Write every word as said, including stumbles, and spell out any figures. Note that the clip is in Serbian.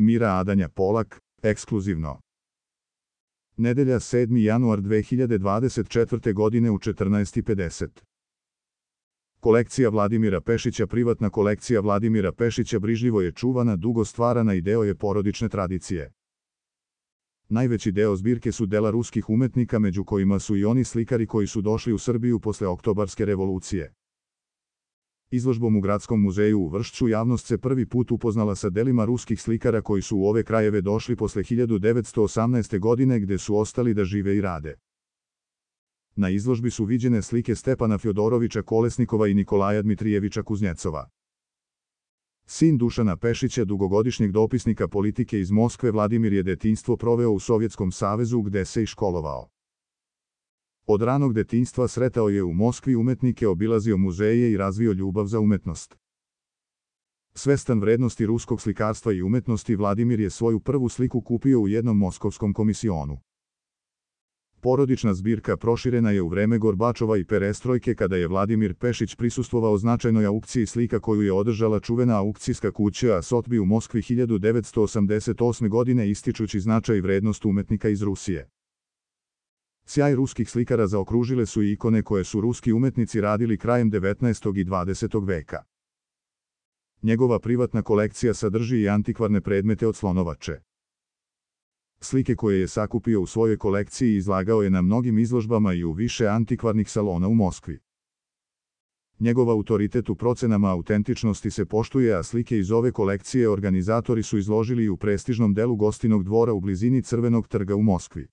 Mira Adanja Polak, ekskluzivno. Nedelja sedmi januar dve hiljade dvadeset četvrte. godine u četrnaest i pedeset. Kolekcija Vladimira Pešića. Privatna kolekcija Vladimira Pešića brižljivo je čuvana, dugo stvarana i deo je porodične tradicije. Najveći deo zbirke su dela ruskih umetnika, među kojima su i oni slikari koji su došli u Srbiju posle Oktobarske revolucije. Izložbom u Gradskom muzeju u Vršcu javnost se prvi put upoznala sa delima ruskih slikara koji su u ove krajeve došli posle hiljadu devetsto osamnaeste. godine, gde su ostali da žive i rade. Na izložbi su viđene slike Stepana Fjodorovića Kolesnikova i Nikolaja Dmitrijevića Kuznjecova. Sin Dušana Pešića, dugogodišnjeg dopisnika politike iz Moskve, Vladimir je detinjstvo proveo u Sovjetskom savezu, gde se i školovao. Od ranog detinjstva sretao je u Moskvi umetnike, obilazio muzeje i razvio ljubav za umetnost. Svestan vrednosti ruskog slikarstva i umetnosti, Vladimir je svoju prvu sliku kupio u jednom moskovskom komisionu. Porodična zbirka proširena je u vreme Gorbačova i perestrojke, kada je Vladimir Pešić prisustvovao značajnoj aukciji slika koju je održala čuvena aukcijska kuća Sotbi u Moskvi hiljadu devetsto osamdeset osme. godine, ističući značaj i vrednost umetnika iz Rusije. Sjaj ruskih slikara zaokružile su i ikone koje su ruski umetnici radili krajem devetnaestog i dvadesetog veka. Njegova privatna kolekcija sadrži i antikvarne predmete od slonovače. Slike koje je sakupio u svojoj kolekciji izlagao je na mnogim izložbama i u više antikvarnih salona u Moskvi. Njegov autoritet u procenama autentičnosti se poštuje, a slike iz ove kolekcije organizatori su izložili u prestižnom delu Gostinog dvora u blizini Crvenog trga u Moskvi.